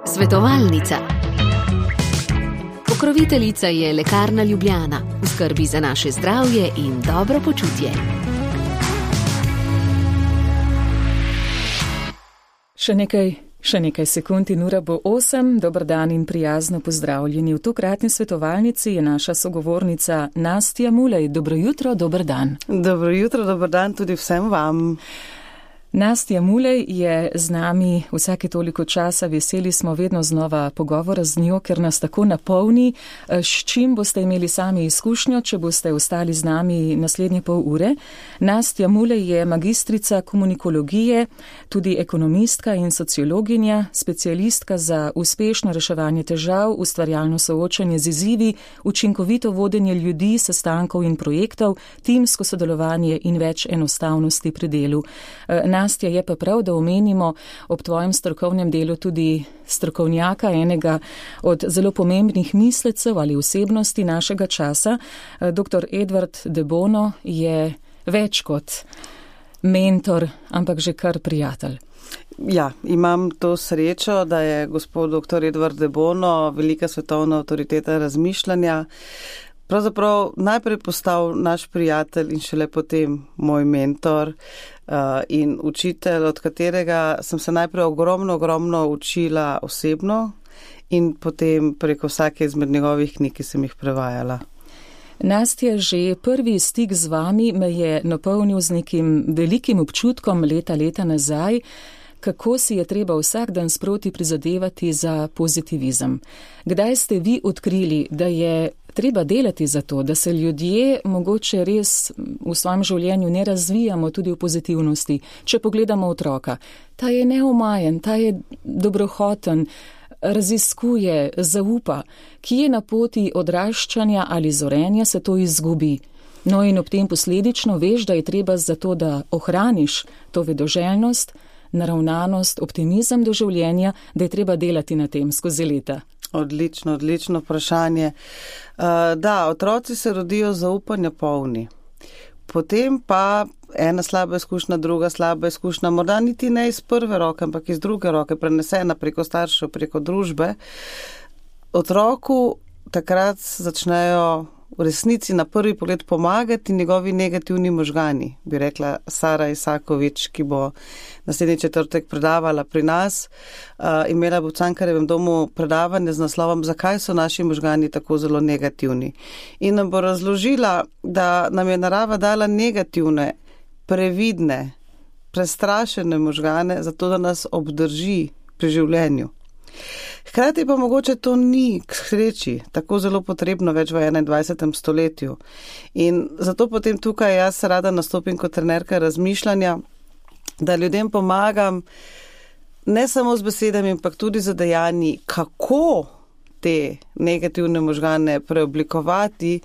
Svetovalnica. Pokroviteljica je Lekarna Ljubljana, v skrbi za naše zdravje in dobro počutje. Še nekaj sekund in ura bo 8. Dober dan in prijazno pozdravljeni. V tokratni svetovalnici je naša sogovornica Nastja Mulej. Dobro jutro, dober dan. Dobro jutro, dober dan tudi vsem vam. Nastja Mulej je z nami vsake toliko časa, veseli smo vedno znova pogovora z njo, ker nas tako napolni. S čim boste imeli sami izkušnjo, če boste ostali z nami naslednje pol ure? Nastja Mulej je magistrica komunikologije, tudi ekonomistka in sociologinja, specialistka za uspešno reševanje težav, ustvarjalno soočanje z izzivi, učinkovito vodenje ljudi, sestankov in projektov, timsko sodelovanje in več enostavnosti pri delu. Nastja, je pa prav, da omenimo ob tvojem strokovnem delu tudi strokovnjaka, enega od zelo pomembnih mislecev ali osebnosti našega časa. Dr. Edward de Bono je več kot mentor, ampak že kar prijatelj. Ja, imam to srečo, da je gospod dr. Edward de Bono velika svetovna avtoriteta razmišljanja. Pravzaprav najprej postal naš prijatelj in šele potem moj mentor in učitelj, od katerega sem se najprej ogromno učila osebno in potem preko vsake izmed njegovih knjig, ki sem jih prevajala. Nastja, že prvi stik z vami me je napolnil z nekim velikim občutkom leta nazaj, kako si je treba vsak dan sproti prizadevati za pozitivizem. Kdaj ste vi odkrili, da je treba delati za to, da se ljudje mogoče res v svojem življenju ne razvijamo tudi v pozitivnosti? Če pogledamo otroka, ta je neomajen, ta je dobrohoten, raziskuje, zaupa, ki je na poti odraščanja ali zorenja, se to izgubi. No in ob tem posledično veš, da je treba za to, da ohraniš to vedoželjnost, naravnanost, optimizem do življenja, da je treba delati na tem skozi leta. Odlično vprašanje. Da, otroci se rodijo zaupanja polni. Potem pa ena slaba izkušnja, druga slaba izkušnja, morda niti ne iz prve roke, ampak iz druge roke, prenesena preko staršev, preko družbe. Otroku takrat začnejo v resnici na prvi pogled pomagati njegovi negativni možgani, bi rekla Sara Isakovič, ki bo naslednji četrtek predavala pri nas. Imela bo v Cankarjevem domu predavanje z naslovom Zakaj so naši možgani tako zelo negativni. In nam bo razložila, da nam je narava dala negativne, previdne, prestrašene možgane, zato da nas obdrži pri življenju. Hkrati pa mogoče to ni k sreči tako zelo potrebno več v 21. stoletju. In zato potem tukaj jaz rada nastopim kot trenerka razmišljanja, da ljudem pomagam ne samo z besedami, ampak tudi z dejanji, kako te negativne možgane preoblikovati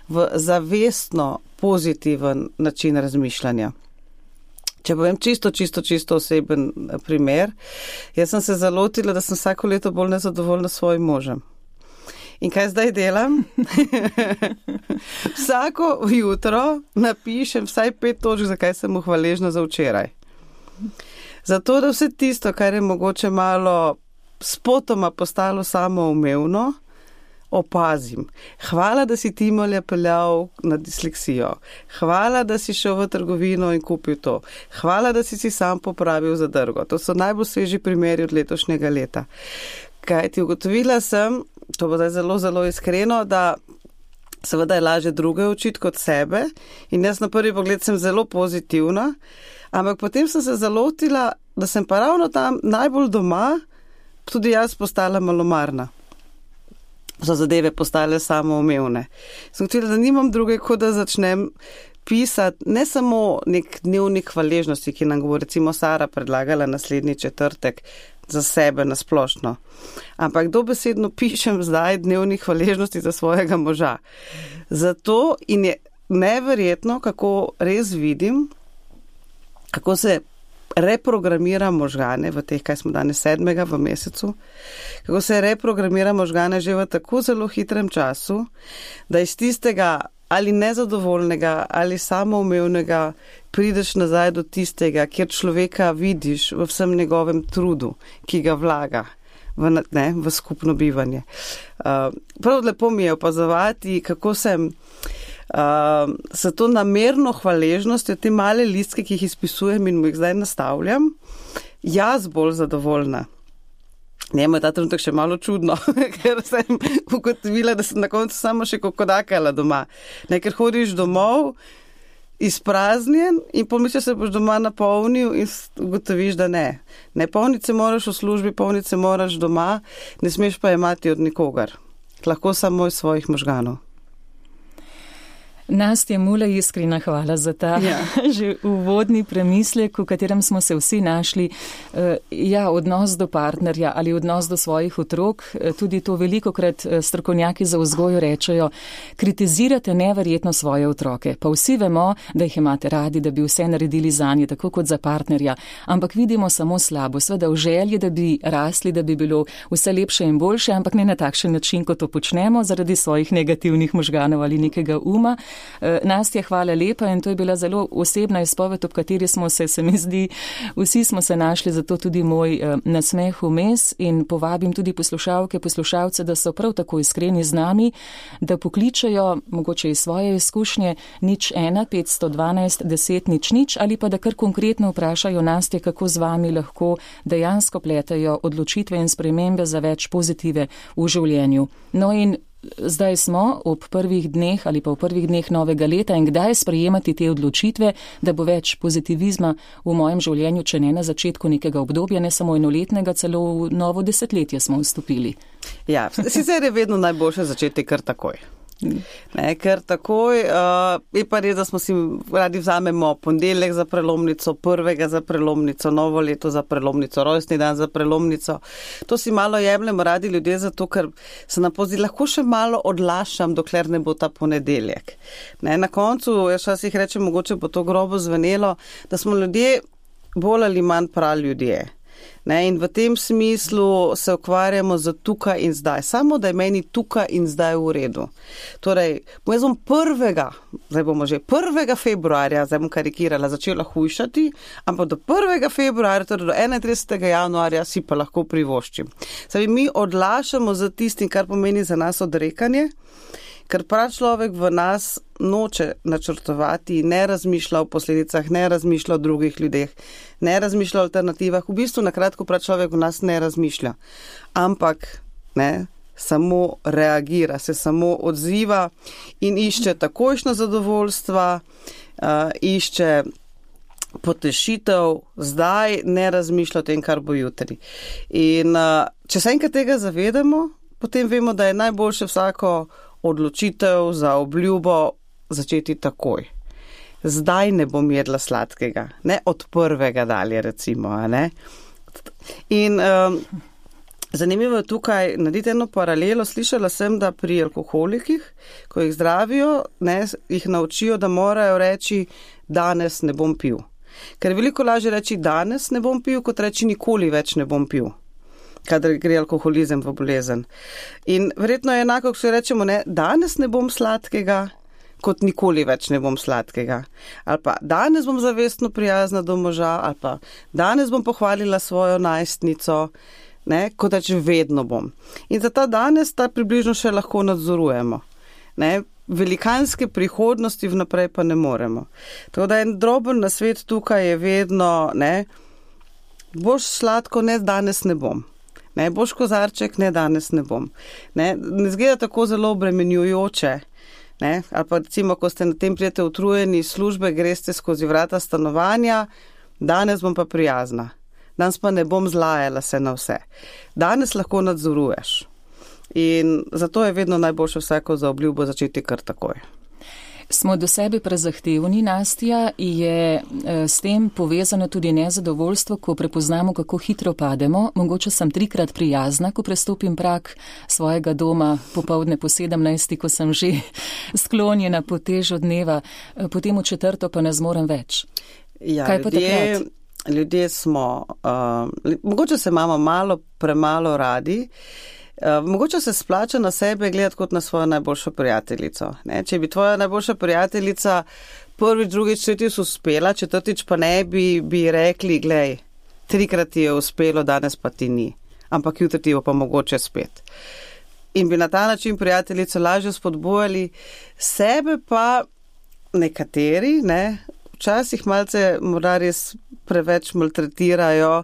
v zavestno pozitiven način razmišljanja. Če povem čisto oseben primer, jaz sem se zalotila, da sem vsako leto bolj nezadovoljna s svojim možem. In kaj zdaj delam? Vsako jutro napišem vsaj 5 točk, zakaj sem mu hvaležna za včeraj. Zato, da vse tisto, kar je mogoče malo spotoma postalo samoumevno, opazim. Hvala, da si Timolja peljal na disleksijo. Hvala, da si šel v trgovino in kupil to. Hvala, da si sam popravil zadrgo. To so najbolj sveži primeri od letošnjega leta. Kaj ti ugotovila sem, to bo zdaj zelo iskreno, da seveda je lažje druge učiti kot sebe in jaz na prvi pogled sem zelo pozitivna, ampak potem sem se zalotila, da sem pa ravno tam najbolj doma tudi jaz postala malomarna. So zadeve postale samoumevne. Sem gotovila, da nimam druge, kot da začnem pisati ne samo nek dnevnik hvaležnosti, ki nam bo recimo Sara predlagala naslednji četrtek za sebe nasplošno, ampak dobesedno pišem zdaj dnevnik hvaležnosti za svojega moža. Zato in je neverjetno, kako res vidim, kako se reprogramira možgane v teh, kaj smo danes 7. v mesecu, kako se reprogramira možgane že v tako zelo hitrem času, da iz tistega ali nezadovoljnega, ali samoumevnega, prideš nazaj do tistega, kjer človeka vidiš v vsem njegovem trudu, ki ga vlaga v skupno bivanje. Prav lepo mi je opazovati, kako sem se to namerno hvaležnostjo, te male listke, ki jih izpisujem in mu jih zdaj nastavljam, jaz bolj zadovoljna. Njemu je ta trenutek še malo čudno, ker sem ugotovila, da sem na koncu samo še kokodakala doma. Ker hodiš domov, izpraznjen in pomisliš, se boš doma napolnil in ugotoviš, da ne. Ne, polnice moraš v službi, polnice moraš doma, ne smeš pa imati od nikogar. Lahko samo iz svojih možganov. Nastja Mulej, iskrena hvala za ta že uvodni premislek, v katerem smo se vsi našli. Odnos do partnerja ali odnos do svojih otrok, tudi to velikokrat strokovnjaki za vzgojo rečejo, kritizirate neverjetno svoje otroke. Pa vsi vemo, da jih imate radi, da bi vse naredili zanje, tako kot za partnerja, ampak vidimo samo slabo. Sveda v želji, da bi rasli, da bi bilo vse lepše in boljše, ampak ne na takšen način, kot to počnemo, zaradi svojih negativnih možganov ali nekega uma. Nastja, hvala lepa in to je bila zelo osebna izpoved, ob kateri smo se mi zdi, vsi smo se našli, zato tudi moj nasmeh vmes in povabim tudi poslušalce, da so prav tako iskreni z nami, da pokličejo mogoče iz svoje izkušnje 01 512 10 00 ali pa da kar konkretno vprašajo Nastje, kako z vami lahko dejansko pletajo odločitve in spremembe za več pozitive v življenju. No in zdaj smo ob prvih dneh ali pa v prvih dneh novega leta in kdaj sprejemati te odločitve, da bo več pozitivizma v mojem življenju, če ne na začetku nekega obdobja, ne samo enoletnega, celo v novo desetletje smo vstopili. Ja, sicer je vedno najboljše začeti kar takoj. Ker takoj je pa res, da smo si radi vzamemo ponedeljek za prelomnico, prvega za prelomnico, novo leto za prelomnico, rojstni dan za prelomnico. To si malo jemljemo radi ljudje zato, ker se nam pozdi, lahko še malo odlašam, dokler ne bo ta ponedeljek. Na koncu, jaz včasih rečem, mogoče bo to grobo zvenelo, da smo ljudje bolj ali manj prav ljudje. In v tem smislu se ukvarjamo z tukaj in zdaj. Samo, da je meni tukaj in zdaj v redu. Torej, jaz bom 1. februarja, zdaj bom karikirala, začela hujšati, ampak do 1. februarja, torej do 31. januarja si pa lahko privoščim. Mi odlašamo za tistim, kar pomeni za nas odrekanje, ker prav človek v nas noče načrtovati, ne razmišlja o posledicah, ne razmišlja o drugih ljudeh, ne razmišlja o alternativah. V bistvu na kratko prav človek v nas ne razmišlja, ampak samo reagira, se samo odziva in išče takojšnjo zadovoljstva, išče potešitev, zdaj ne razmišlja o tem, kar bo jutri. In če se enkrat tega zavedamo, potem vemo, da je najboljše vsako odločitev za obljubo začeti takoj. Zdaj ne bom jedla sladkega, ne od prvega dalje recimo. Ne? In zanimivo je tukaj narediti eno paralelo. Slišala sem, da pri alkoholikih, ko jih zdravijo, jih naučijo, da morajo reči, danes ne bom pil. Ker je veliko lažje reči, danes ne bom pil, kot reči, nikoli več ne bom pil, kadar gre alkoholizem v bolezen. In verjetno je enako, ko se rečemo, danes ne bom sladkega, kot nikoli več ne bom sladkega. Ali pa danes bom zavestno prijazna do moža, ali pa danes bom pohvalila svojo najstnico, kot reč vedno bom. In za ta danes ta približno še lahko nadzorujemo. Velikanske prihodnosti vnaprej pa ne moremo. Tako da en droben nasvet tukaj je vedno, boš sladko, danes ne bom. Boš kozarček, danes ne bom. Ne zgleda tako zelo obremenjujoče. Ali pa recimo, ko ste na tem prijete utrujeni iz službe, greste skozi vrata stanovanja, danes bom pa prijazna. Danes pa ne bom zlajala se na vse. Danes lahko nadzoruješ. In zato je vedno najboljše vsako za obljubo začeti kar takoj. Smo do sebe prezahtevni, Nastja, je s tem povezano tudi nezadovoljstvo, ko prepoznamo, kako hitro pademo. Mogoče sem 3-krat prijazna, ko prestopim prag svojega doma popoldne po 17, ko sem že sklonjena po težo dneva, potem v 4. pa ne zmorem več. Ja, kaj pa takrat? Ljudje smo, mogoče se imamo premalo radi, Mogoče se splača na sebe gledati kot na svojo najboljšo prijateljico. Ne? Če bi tvoja najboljša prijateljica prvič, drugič, tretjič uspela, četrtič pa ne, bi rekli, glej, 3-krat ti je uspelo, danes pa ti ni. Ampak jutri ti bo pa mogoče spet. In bi na ta način prijateljico lažje spodbujali, sebe pa nekateri, ne, včasih malce morda res preveč maltretirajo.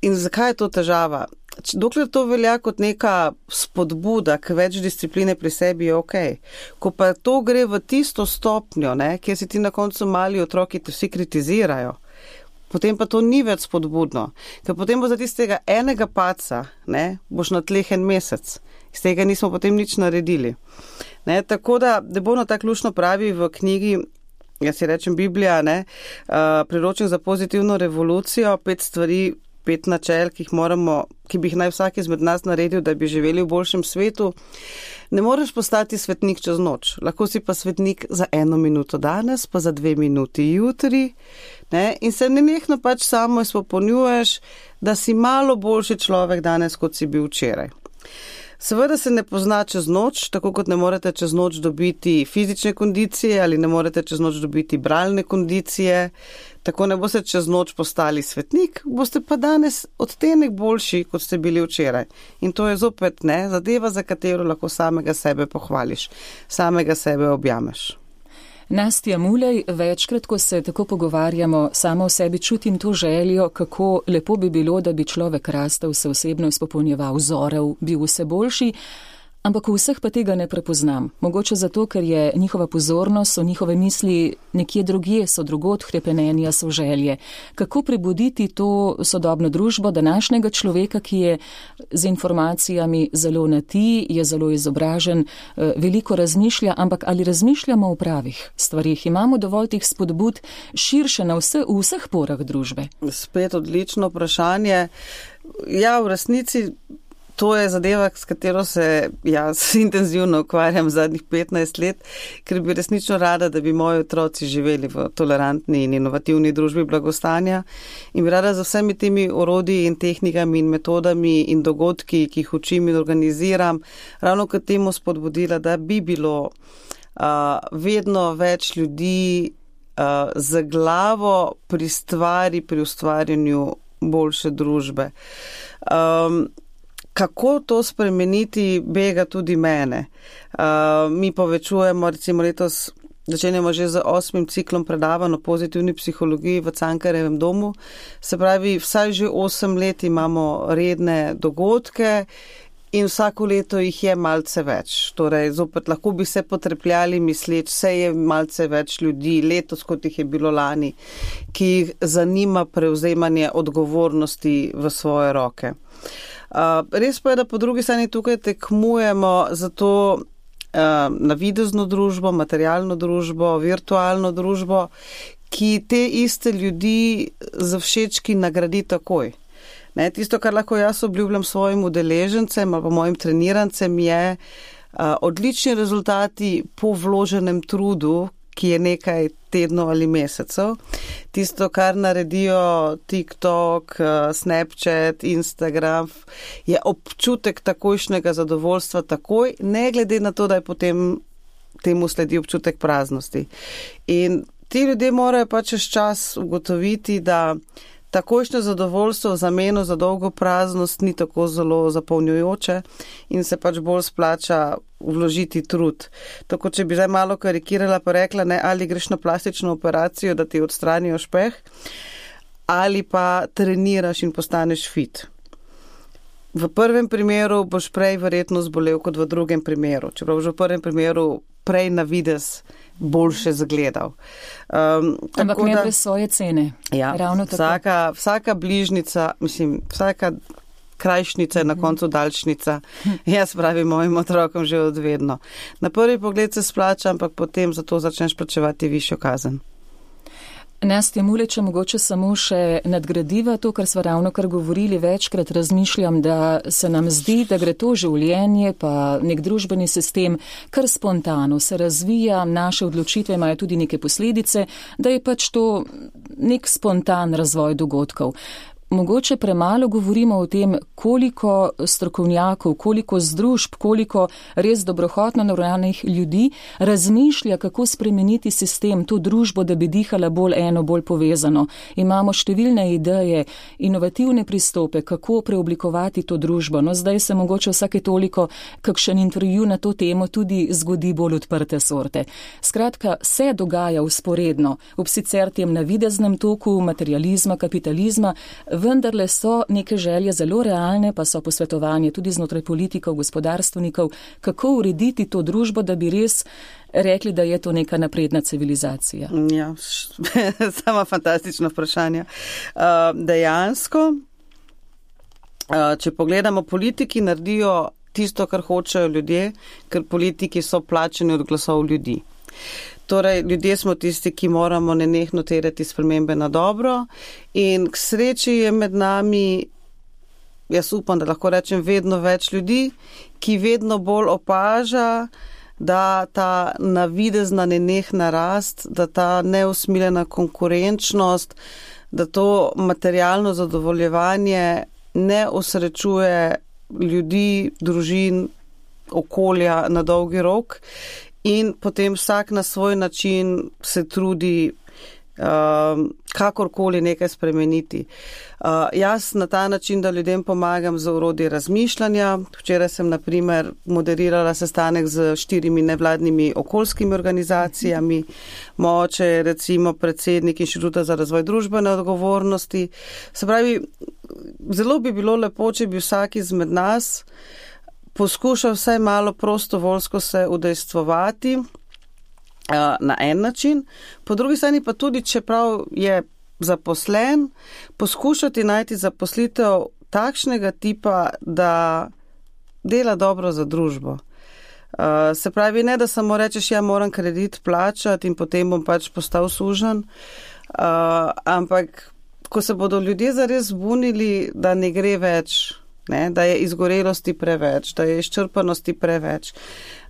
In zakaj je to težava? Dokler to velja kot neka spodbuda k več discipline pri sebi, je okej. Ko pa to gre v tisto stopnjo, ne, kjer si ti na koncu mali otroki, te vsi kritizirajo, potem pa to ni več spodbudno. Ker potem bo za tistega enega paca, ne, boš na tleh en mesec. Iz tega nismo potem nič naredili. Ne, tako da Debona tako luštno pravi v knjigi, jaz si rečem Biblija, ne, priročnik za pozitivno revolucijo, 5 stvari, 5 načel, ki bi jih naj vsak izmed nas naredil, da bi živeli v boljšem svetu. Ne moreš postati svetnik čez noč. Lahko si pa svetnik za 1 minuto danes, pa za 2 minuti jutri. Ne? In se nenehno pač samo izpopolnjuješ, da si malo boljši človek danes, kot si bil včeraj. Seveda se ne pozna čez noč, tako kot ne morete čez noč dobiti fizične kondicije ali ne morete čez noč dobiti bralne kondicije. Tako ne boste čez noč postali svetnik, boste pa danes odtenek boljši, kot ste bili včeraj. In to je zopet zadeva, za katero lahko samega sebe pohvališ, samega sebe objameš. Nastja Mulej, večkrat, ko se tako pogovarjamo, sama v sebi čutim to željo, kako lepo bi bilo, da bi človek rastel, se osebno izpopolnjeval, zorel, bil vse boljši, ampak v vseh pa tega ne prepoznam. Mogoče zato, ker je njihova pozornost, so njihove misli nekje drugje, so drugod hrepenenja, so želje. Kako prebuditi to sodobno družbo današnjega človeka, ki je z informacijami zelo na ti, je zelo izobražen, veliko razmišlja, ampak ali razmišljamo o pravih stvarih? Imamo dovolj teh spodbud širše v vseh porah družbe? Spet odlično vprašanje. Ja, v resnici to je zadeva, s katero se jaz intenzivno ukvarjam zadnjih 15 let, ker bi resnično rada, da bi moji otroci živeli v tolerantni in inovativni družbi blagostanja in bi rada z vsemi temi orodji in tehnikami in metodami in dogodki, ki jih učim in organiziram, ravno k temu spodbudila, da bi bilo vedno več ljudi z glavo pri stvari, pri ustvarjanju boljše družbe. Kako to spremeniti, bega tudi mene. Mi povečujemo, recimo letos začenjamo že z 8. ciklom predavanj o pozitivni psihologiji v Cankarjevem domu. Se pravi, vsaj že 8 let imamo redne dogodke in vsako leto jih je malce več. Torej, zopet lahko bi se potrepljali misleč, vse je malce več ljudi letos, kot jih je bilo lani, ki jih zanima prevzemanje odgovornosti v svoje roke. Res pa je, da po drugi strani tukaj tekmujemo za to navidezno družbo, materialno družbo, virtualno družbo, ki te iste ljudi za všečki nagradi takoj. Ne, tisto, kar lahko jaz obljubljam svojim udeležencem ali pa mojim trenirancem, je odlični rezultati po vloženem trudu, ki je nekaj tednov ali mesecev. Tisto, kar naredijo TikTok, Snapchat, Instagram, je občutek takojšnjega zadovoljstva takoj, ne glede na to, da je potem temu sledi občutek praznosti. In ti ljudje morajo pa čez čas ugotoviti, da takojšnje zadovoljstvo v zameno za dolgo praznost ni tako zelo zapolnjujoče in se pač bolj splača vložiti trud. Tako, če bi zdaj malo karikirala pa rekla, ne, ali greš na plastično operacijo, da ti odstranijo špeh, ali pa treniraš in postaneš fit. V prvem primeru boš prej verjetno zbolel kot v drugem primeru, čeprav že v prvem primeru prej na videz boljše zagledal. Ampak ne brez svoje cene. Ja, vsaka bližnica, vsaka krajšnica je na koncu daljšnica. Jaz pravim mojim otrokom že od vedno. Na prvi pogled se splača, ampak potem zato začneš plačevati višjo kazen. Nastja Mulej, če mogoče samo še nadgradiva to, kar sva ravno kar govorili, večkrat razmišljam, da se nam zdi, da gre to življenje pa nek družbeni sistem kar spontano, se razvija, naše odločitve imajo tudi neke posledice, da je pač to nek spontan razvoj dogodkov. mogoče premalo govorimo o tem, koliko strokovnjakov, koliko združb, koliko res dobrohotno naravnanih ljudi razmišlja, kako spremeniti sistem, to družbo, da bi dihala bolj eno, bolj povezano. Imamo številne ideje, inovativne pristope, kako preoblikovati to družbo. No, zdaj se mogoče vsake toliko kakšen intervju na to temo tudi zgodi bolj odprte sorte. Skratka, se dogaja vzporedno, ob sicer tem navideznem toku materializma, kapitalizma, vendarle so neke želje zelo realne, pa so posvetovanje tudi znotraj politikov, gospodarstvenikov, kako urediti to družbo, da bi res rekli, da je to neka napredna civilizacija. Ja, sama fantastično vprašanje. Dejansko, če pogledamo, politiki naredijo tisto, kar hočejo ljudje, ker politiki so plačeni od glasov ljudi. Torej, ljudje smo tisti, ki moramo nenehno terjati spremembe na dobro in k sreči je med nami, jaz upam, da lahko rečem, vedno več ljudi, ki vedno bolj opaža, da ta navidezna nenehna rast, da ta neusmiljena konkurenčnost, da to materialno zadovoljevanje ne osrečuje ljudi, družin, okolja na dolgi rok. In potem vsak na svoj način se trudi kakorkoli nekaj spremeniti. Jaz na ta način, da ljudem pomagam z orodji razmišljanja. Včeraj sem, na primer, moderirala sestanek z 4 nevladnimi okoljskimi organizacijami. Moče je recimo predsednik Inštituta za razvoj družbene odgovornosti. Se pravi, zelo bi bilo lepo, če bi vsak izmed nas poskušal vsaj malo prostovoljsko se udejstvovati na en način, po drugi strani pa tudi, čeprav je zaposlen, poskušati najti zaposlitev takšnega tipa, da dela dobro za družbo. Se pravi, ne da samo rečeš, ja, moram kredit plačati in potem bom pač postal sužen, ampak ko se bodo ljudje zares zbunili, da ne gre več, ne, da je izgorelosti preveč, da je izčrpanosti preveč,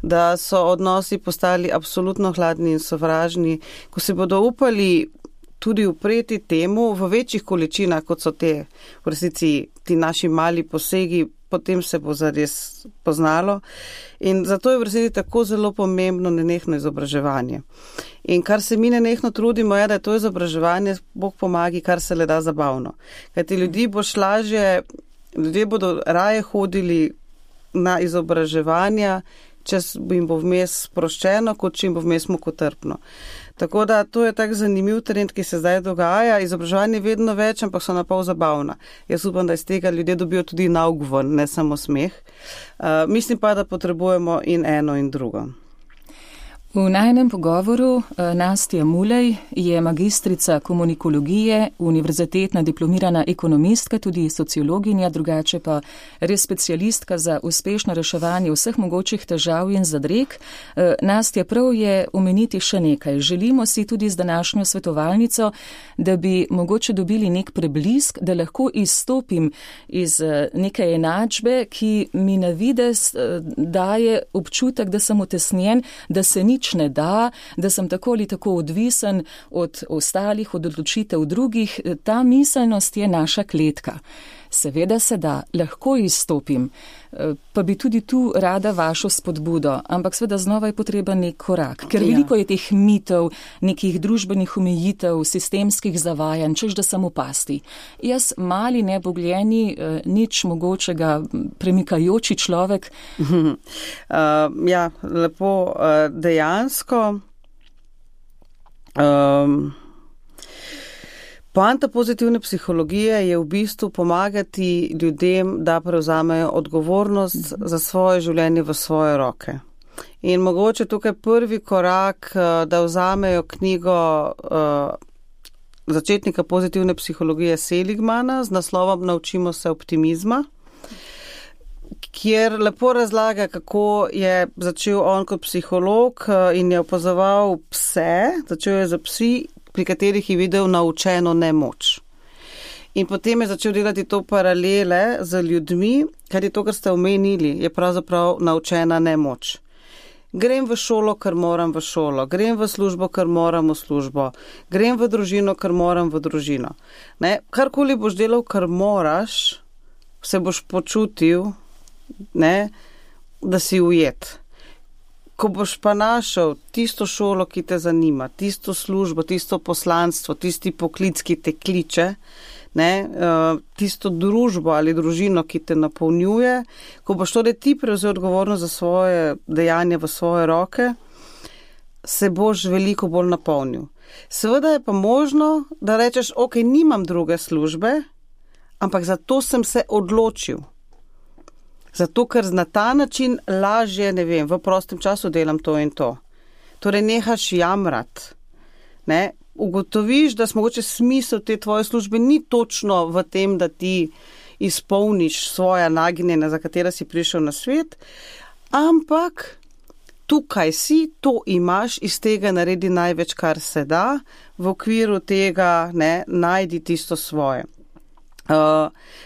da so odnosi postali absolutno hladni in sovražni, ko se bodo upali tudi upreti temu v večjih količinah, kot so te v resnici ti naši mali posegi, potem se bo zares poznalo. In zato je v resnici tako zelo pomembno nenehno izobraževanje. In kar se mi nenehno trudimo, je, da je to izobraževanje, Bog pomagi, kar se le da zabavno. Kajti ljudje bodo raje hodili na izobraževanja, če jim bo vmes sproščeno, kot če jim bo vmes mukotrpno. Tako da to je tak zanimiv trend, ki se zdaj dogaja. Izobraževanje je vedno več, ampak so napol zabavna. Jaz upam, da iz tega ljudje dobijo tudi nauk ven, ne samo smeh. Mislim pa, da potrebujemo in eno in drugo. V najnem pogovoru Nastja Mulej je magistrica komunikologije, univerzitetna diplomirana ekonomistka, tudi sociologinja, drugače pa res specialistka za uspešno reševanje vseh mogočih težav in zadreg. Nastja, prav je omeniti še nekaj. Želimo si tudi z današnjo svetovalnico, da bi mogoče dobili nek preblisk, da lahko izstopim iz neke enačbe, ki mi na videz daje občutek, da sem utesnjen, da se nič ne da sem tako ali tako odvisen od ostalih, od odločitev drugih. Ta miselnost je naša kletka. Seveda se da, lahko izstopim, pa bi tudi tu rada vašo spodbudo, ampak seveda znova je potreben nek korak, ker veliko je teh mitov, nekih družbenih omejitev, sistemskih zavajanj, češ da sem v pasti. Jaz mali, nebogljeni, nič mogočega premikajoči človek. Ja, lepo, dejansko. Poanta pozitivne psihologije je v bistvu pomagati ljudem, da prevzamejo odgovornost za svoje življenje v svoje roke. In mogoče tukaj prvi korak, da vzamejo knjigo začetnika pozitivne psihologije Seligmana z naslovom Naučimo se optimizma, kjer lepo razlaga, kako je začel on kot psiholog in je opazoval pse, začel je za psi, pri katerih je videl naučeno nemoč. In potem je začel delati to paralele z ljudmi, kar je to, kar ste omenili, je pravzaprav naučena nemoč. grem v šolo, ker moram v šolo, grem v službo, ker moram v službo, grem v družino, ker moram v družino. Ne? Karkoli boš delal, ker moraš, se boš počutil, ne, da si ujet. Ko boš pa našel tisto šolo, ki te zanima, tisto službo, tisto poslanstvo, tisti poklic, ki te kliče, ne, tisto družbo ali družino, ki te napolnjuje, ko boš torej ti prevzel odgovornost za svoje dejanje v svoje roke, se boš veliko bolj napolnil. Seveda je pa možno, da rečeš, ok, nimam druge službe, ampak zato sem se odločil. Zato, ker na ta način lažje, ne vem, v prostem času delam to in to. Torej nehaš jamrat, ne, ugotoviš, da mogoče smisel te tvoje službe ni točno v tem, da ti izpolniš svoja nagnjenja, za katera si prišel na svet, ampak tukaj si, to imaš, iz tega naredi največ, kar se da, v okviru tega, ne, najdi tisto svoje.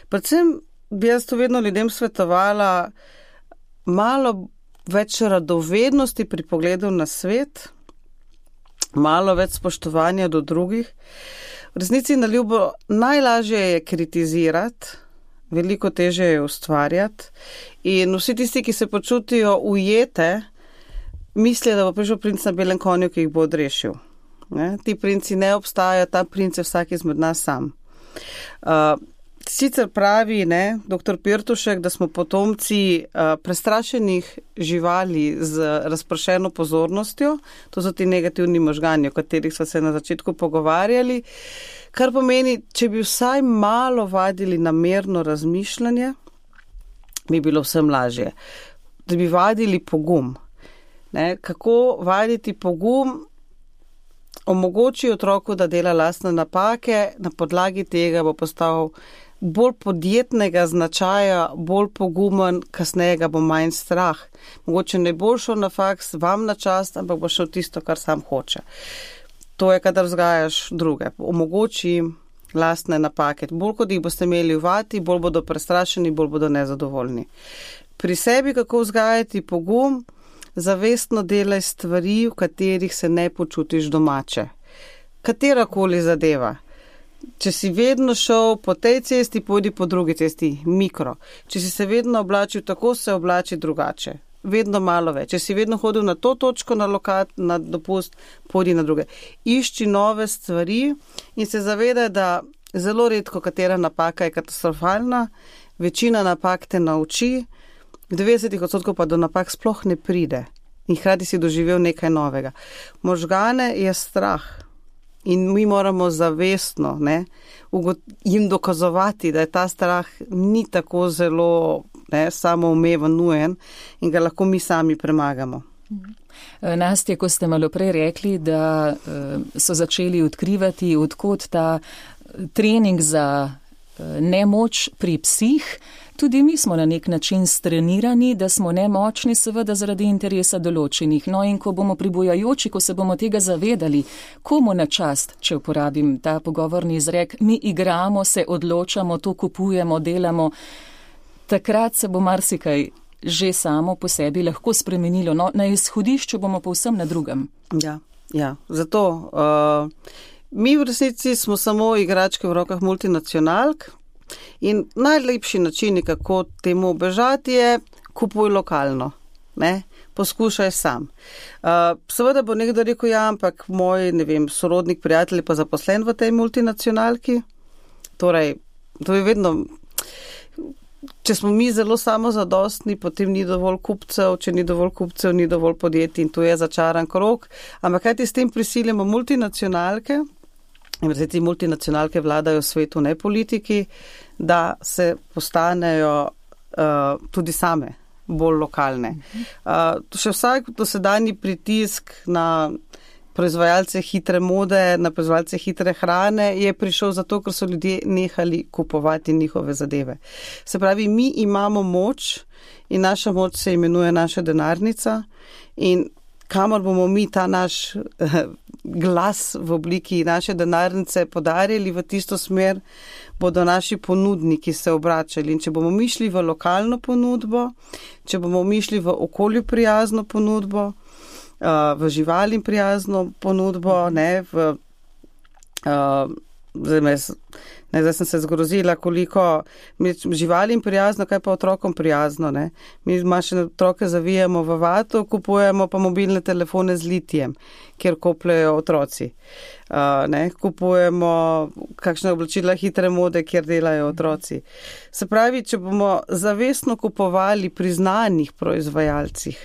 Predvsem bi jaz to vedno ljudem svetovala malo več radovednosti pri pogledu na svet, malo več spoštovanja do drugih. V resnici na ljubo najlažje je kritizirati, veliko težje je ustvarjati in vsi tisti, ki se počutijo ujete, mislijo, da bo prišel princ na belem konju, ki jih bo odrešil. Ne? Ti princi ne obstajajo, ta princ je vsak izmed nas sam. Sicer pravi, ne, dr. Pirtušek, da smo potomci prestrašenih živali z razpršeno pozornostjo, to so ti negativni možgani, o katerih smo se na začetku pogovarjali, kar pomeni, če bi vsaj malo vadili namerno razmišljanje, bi bilo vsem lažje. Da bi vadili pogum. Ne, kako vaditi pogum? Omogoči otroku, da dela lastne napake, na podlagi tega bo postal bolj podjetnega značaja, bolj pogumen, kasneje ga bo manj strah. Mogoče ne bo šel na faks vam na čast, ampak bo šel tisto, kar sam hoče. To je, kadar vzgajaš druge. Omogoči jim lastne napake. Bolj kot jih boste imeli vati, bolj bodo prestrašeni, bolj bodo nezadovoljni. Pri sebi, kako vzgajati pogum, zavestno delaj stvari, v katerih se ne počutiš domače. Katerakoli zadeva. Če si vedno šel po tej cesti, pojdi po drugi cesti, mikro. Če si se vedno oblačil tako, se oblači drugače. Vedno malo več. Če si vedno hodil na to točko, na dopust, pojdi na druge. Išči nove stvari in se zavedaj, da zelo redko katera napaka je katastrofalna, večina napak te nauči, 90% pa do napak sploh ne pride. In hkrati si doživel nekaj novega. Možgane je strah. In mi moramo zavestno, ne, jim dokazovati, da je ta strah ni tako zelo, ne, samoumeven, nujen in ga lahko mi sami premagamo. Nastja, ko ste malo prej rekli, da so začeli odkrivati, odkot ta trening za nemoč pri psih, tudi mi smo na nek način strenirani, da smo nemočni, seveda zaradi interesa določenih. No in ko bomo pribojajoči, ko se bomo tega zavedali, komu na čast, če uporabim ta pogovorni izrek, mi igramo, se odločamo, to kupujemo, delamo, takrat se bo marsikaj že samo po sebi lahko spremenilo. No, na izhodišču bomo povsem na drugem. Ja. Zato mi v resnici smo samo igračke v rokah multinacionalk in najlepši način, kako temu obežati, je kupuj lokalno, ne? Poskušaj sam. Seveda bo nekdo rekel, ja, ampak moj, ne vem, sorodnik, prijatelj pa zaposlen v tej multinacionalki. Torej, to je vedno, če smo mi zelo samozadostni, potem ni dovolj kupcev, če ni dovolj kupcev, ni dovolj podjetij in to je začaran krog. Ampak kaj ti s tem prisiljamo multinacionalke? In ti multinacionalke vladajo svetu, ne politiki, da se postanejo tudi same bolj lokalne. Še vsak dosedanji pritisk na proizvajalce hitre mode, na proizvajalce hitre hrane je prišel zato, ker so ljudje nehali kupovati njihove zadeve. Se pravi, mi imamo moč in naša moč se imenuje naša denarnica in kamor bomo mi ta naš glas v obliki naše denarnice podarili v tisto smer, bodo naši ponudniki se obračali. In če bomo mi šli v lokalno ponudbo, če bomo mi šli v okolju prijazno ponudbo, v živalim prijazno ponudbo, zdaj sem se zgrozila, koliko živalim prijazno, kaj pa otrokom prijazno. Ne? Mi manjše otroke zavijamo v vato, kupujemo pa mobilne telefone z litijem, kjer kopljajo otroci. Kupujemo kakšne oblačila hitre mode, kjer delajo otroci. Se pravi, če bomo zavestno kupovali pri znanih proizvajalcih,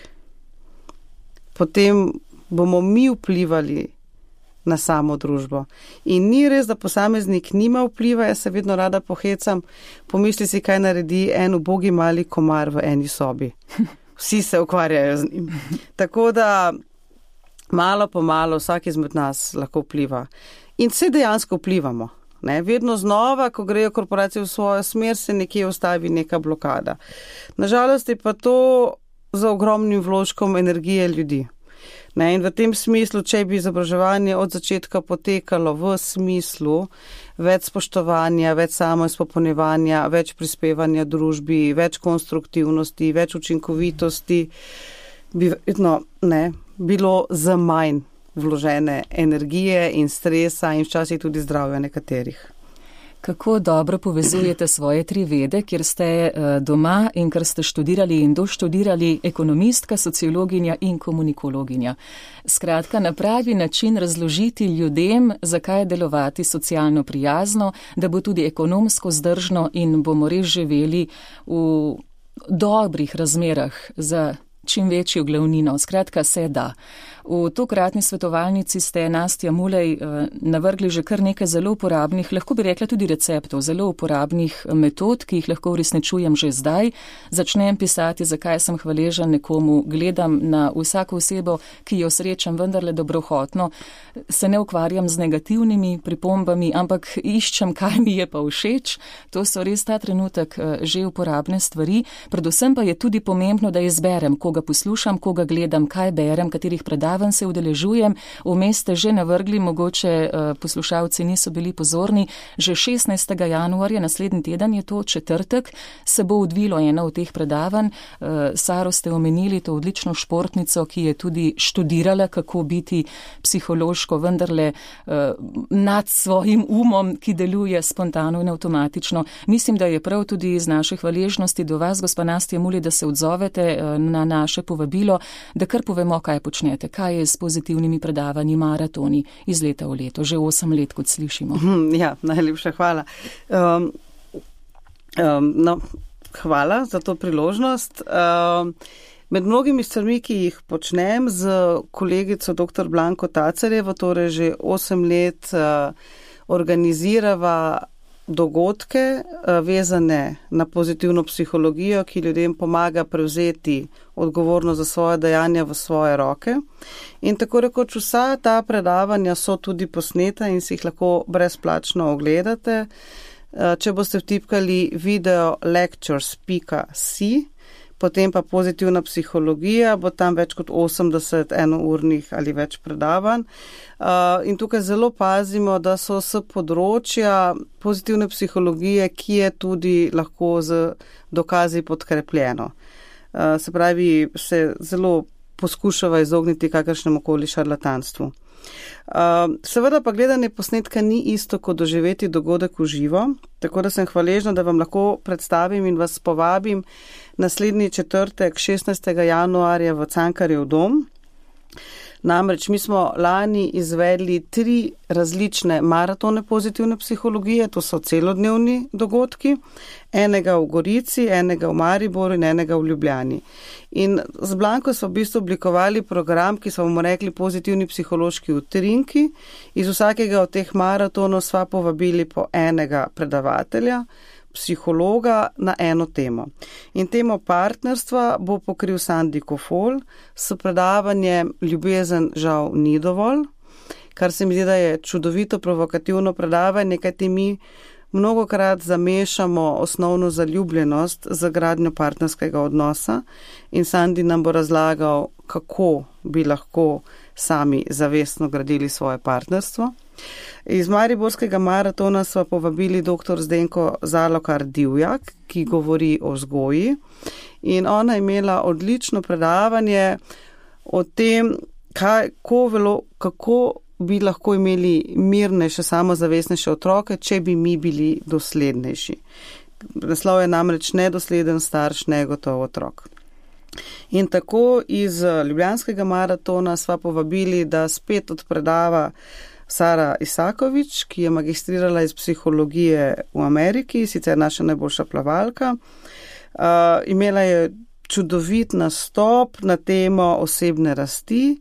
potem bomo mi vplivali na samo družbo. In ni res, da posameznik nima vpliva, jaz se vedno rada pohecam, pomisli si, kaj naredi en ubogi mali komar v eni sobi. Vsi se ukvarjajo z njim. Tako da malo po malo vsak izmed nas lahko vpliva. In vse dejansko vplivamo. Vedno znova, ko grejo korporacije v svojo smer, se nekje ustavi neka blokada. Nažalost je pa to za ogromnim vložkom energije ljudi. In v tem smislu, če bi izobraževanje od začetka potekalo v smislu več spoštovanja, več samoizpopolnjevanja, več prispevanja družbi, več konstruktivnosti, več učinkovitosti, bi bilo za manj vložene energije in stresa in včasih tudi zdravja nekaterih. Kako dobro povezujete svoje 3 vede, kjer ste doma in kar ste študirali in doštudirali ekonomistka, sociologinja in komunikologinja. Skratka, na pravi način razložiti ljudem, zakaj delovati socialno prijazno, da bo tudi ekonomsko zdržno in bomo res živeli v dobrih razmerah za čim večjo glavnino. Skratka, se da. V tokratni svetovalnici ste, Nastja Mulej, navrgli že kar nekaj zelo uporabnih, lahko bi rekla tudi receptov, zelo uporabnih metod, ki jih lahko uresničujem že zdaj. Začnem pisati, zakaj sem hvaležen nekomu, gledam na vsako osebo, ki jo srečam vendarle dobrohotno, se ne ukvarjam z negativnimi pripombami, ampak iščem, kaj mi je pa všeč. To so res ta trenutek že uporabne stvari. Predvsem pa je tudi pomembno, da izberem, koga poslušam, koga gledam, kaj berem, katerih predavanj se udeležujem. Vmes ste že navrgli, mogoče poslušalci niso bili pozorni, že 16. januarja, naslednji teden je to, četrtek, se bo odvilo eno od teh predavanj. Saro ste omenili, to odlično športnico, ki je tudi študirala, kako biti psihološko vendarle nad svojim umom, ki deluje spontano in avtomatično. Mislim, da je prav tudi iz naše hvaležnosti do vas, gospa Nastja Mulej, da se odzovete na naše povabilo, da kar povemo, kaj počnete, kaj je s pozitivnimi predavanji, maratoni iz leta v leto, že 8 let, kot slišimo. Ja, najlepša hvala. Hvala za to priložnost. Med mnogimi stvarmi, ki jih počnem z kolegico dr. Blanko Tacerjevo, torej že 8 let organizirava dogodke vezane na pozitivno psihologijo, ki ljudem pomaga prevzeti odgovornost za svoje dejanja v svoje roke. In tako rekoč vsa ta predavanja so tudi posneta in si jih lahko brezplačno ogledate. Če boste vtipkali videolectures.si, potem pa pozitivna psihologija, bo tam več kot 80 enournih ali več predavanj. In tukaj zelo pazimo, da so s področja pozitivne psihologije, ki je tudi lahko z dokazi podkrepljeno. Se pravi, se zelo poskušava izogniti kakršnemu koli šarlatanstvu. Seveda pa gledanje posnetka ni isto kot doživeti dogodek v živo, tako da sem hvaležna, da vam lahko predstavim in vas povabim naslednji četrtek 16. januarja v Cankarjev dom. Namreč mi smo lani izvedli 3 različne maratone pozitivne psihologije, to so celodnevni dogodki, enega v Gorici, enega v Mariboru in enega v Ljubljani. In z Blanko smo v bistvu oblikovali program, ki smo mu rekli pozitivni psihološki utrinki. Iz vsakega od teh maratonov sva povabili po enega predavatelja, psihologa na eno temo. In temo partnerstva bo pokril Sandi Kofol s predavanjem Ljubezen žal ni dovolj, kar se mi zdi, da je čudovito provokativno predavanje, kajti mi mnogokrat zamešamo osnovno zaljubljenost z gradnjo partnerskega odnosa in Sandi nam bo razlagal, kako bi lahko sami zavestno gradili svoje partnerstvo. Iz Mariborskega maratona sva povabili dr. Zdenko Zalokar Divjak, ki govori o vzgoji, in ona je imela odlično predavanje o tem, kako bi lahko imeli mirnejše, samozavestnejše otroke, če bi mi bili doslednejši. Naslov je namreč Nedosleden starš, negotov otrok. In tako iz Ljubljanskega maratona sva povabili, da spet odpredava Sara Isakovič, ki je magistrirala iz psihologije v Ameriki, sicer naša najboljša plavalka. Imela je čudovit nastop na temo osebne rasti,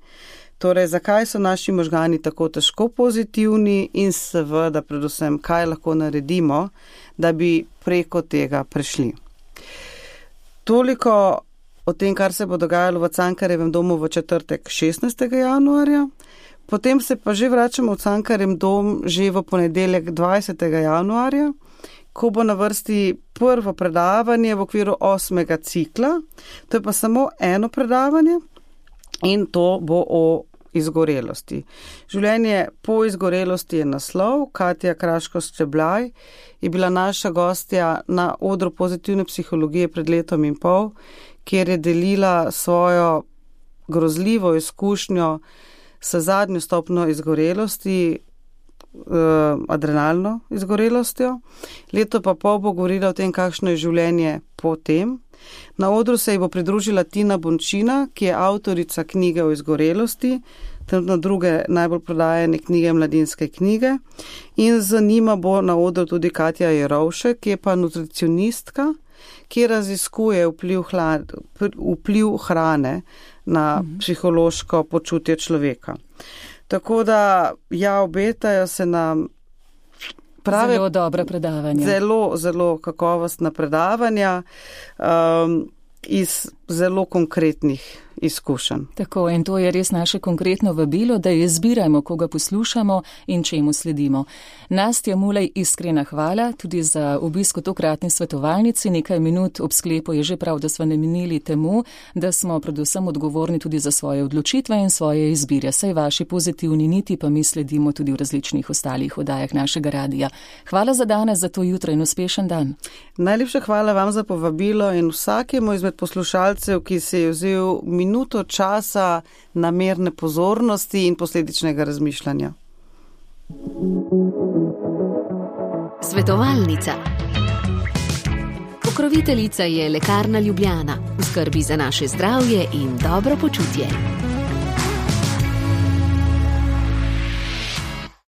torej zakaj so naši možgani tako težko pozitivni in seveda predvsem, kaj lahko naredimo, da bi preko tega prešli. Toliko o tem, kar se bo dogajalo v Cankarjevem domu v četrtek 16. januarja. Potem se pa že vračamo v Cankarjev dom že v ponedeljek 20. januarja, ko bo na vrsti prvo predavanje v okviru 8. cikla. To je pa samo eno predavanje in to bo o izgorelosti. Življenje po izgorelosti je naslov. Katja Kraško-Ščeblaj je bila naša gostja na odru pozitivne psihologije pred letom in pol, kjer je delila svojo grozljivo izkušnjo s zadnjo stopnjo izgorelosti, adrenalno izgorelostjo. Leto pa pol bo govorila o tem, kakšno je življenje po tem. Na odru se ji bo pridružila Tina Bončina, ki je avtorica knjige o izgorelosti, trenutno druge najbolj prodajane knjige, Mladinske knjige. In z njima bo na odru tudi Katja Jerovšek, ki je pa nutricionistka, ki raziskuje vpliv hrane na psihološko počutje človeka. Tako da, obetajo se nam zelo dobra predavanja. Zelo kakovostna predavanja iz zelo konkretnih izkušenj. Tako, in to je res naše konkretno vabilo, da izbirajmo, koga poslušamo in čemu sledimo. Nastja Mulej, iskrena hvala tudi za obisk v tokratni svetovalnici. Nekaj minut ob sklepu je že prav, da smo namenili temu, da smo predvsem odgovorni tudi za svoje odločitve in svoje izbire. Saj vaši pozitivni niti pa mi sledimo tudi v različnih ostalih oddajah našega radija. Hvala za danes, za to jutro in uspešen dan. Najlepša hvala vam za povabilo in vsakemu izmed poslušalcev, ki se je vzel minuto časa namerne pozornosti in posledičnega razmišljanja. Svetovalnica. Pokroviteljica je Lekarna Ljubljana. V skrbi za naše zdravje in dobro počutje.